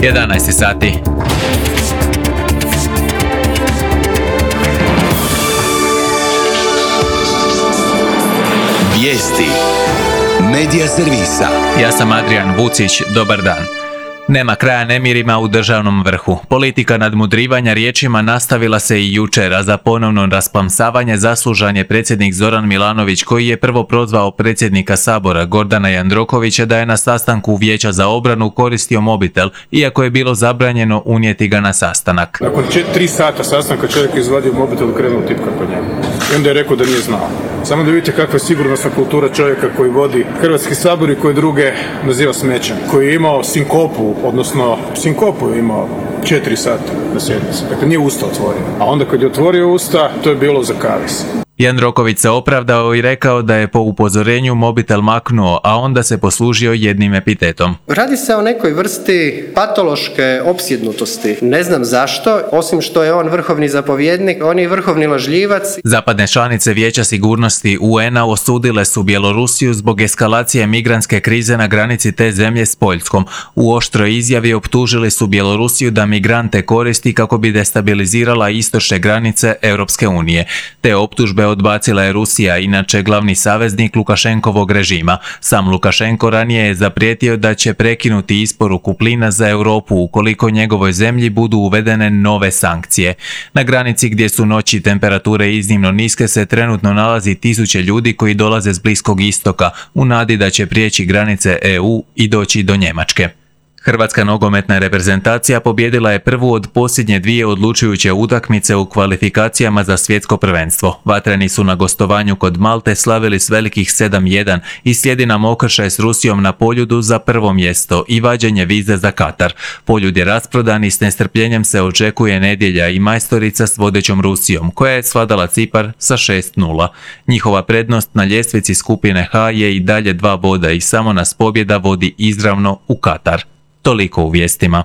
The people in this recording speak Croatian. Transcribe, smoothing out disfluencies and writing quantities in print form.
11 sati. Vijesti Medija servisa. Ja sam Adrian Vucić, dobar dan. Nema kraja nemirima u državnom vrhu. Politika nadmudrivanja riječima nastavila se i jučer, a za ponovno rasplamsavanje zaslužan je predsjednik Zoran Milanović, koji je prvo prozvao predsjednika Sabora Gordana Jandrokovića da je na sastanku Vijeća za obranu koristio mobitel, iako je bilo zabranjeno unijeti ga na sastanak. Nakon 3 sata sastanka čovjek je izvadio mobitel i krenuo tipka po njemu. I onda je rekao da nije znao. Samo da vidite kakva je sigurnosna kultura čovjeka koji vodi Hrvatski sabor i koji druge naziva smećem. Koji je imao sinkopu je imao 4 sata na sjednici. Dakle, nije usta otvorio. A onda kad je otvorio usta, to je bilo za kavez. Jandroković se opravdao i rekao da je po upozorenju mobitel maknuo, a onda se poslužio jednim epitetom. Radi se o nekoj vrsti patološke opsjednutosti. Ne znam zašto, osim što je on vrhovni zapovjednik, on je vrhovni lažljivac. Zapadne članice Vijeća sigurnosti UN-a osudile su Bjelorusiju zbog eskalacije migrantske krize na granici te zemlje s Poljskom. U oštroj izjavi optužili su Bjelorusiju da migrante koristi kako bi destabilizirala istočne granice Europske unije. Te optužbe odbacila je Rusija, inače glavni saveznik Lukašenkovog režima. Sam Lukašenko ranije je zaprijetio da će prekinuti isporuku plina za Europu ukoliko njegovoj zemlji budu uvedene nove sankcije. Na granici gdje su noći temperature iznimno niske se trenutno nalazi tisuće ljudi koji dolaze s Bliskog istoka u nadi da će prijeći granice EU i doći do Njemačke. Hrvatska nogometna reprezentacija pobijedila je prvu od posljednje 2 odlučujuće utakmice u kvalifikacijama za svjetsko prvenstvo. Vatreni su na gostovanju kod Malte slavili s velikih 7-1 i slijedi nam okršaj s Rusijom na Poljudu za prvo mjesto i vađenje vize za Katar. Poljud je rasprodan i s nestrpljenjem se očekuje nedjelja i majstorica s vodećom Rusijom, koja je svladala Cipar sa 6-0. Njihova prednost na ljestvici skupine H je i dalje 2 boda i samo nas pobjeda vodi izravno u Katar. Toliko u vijestima.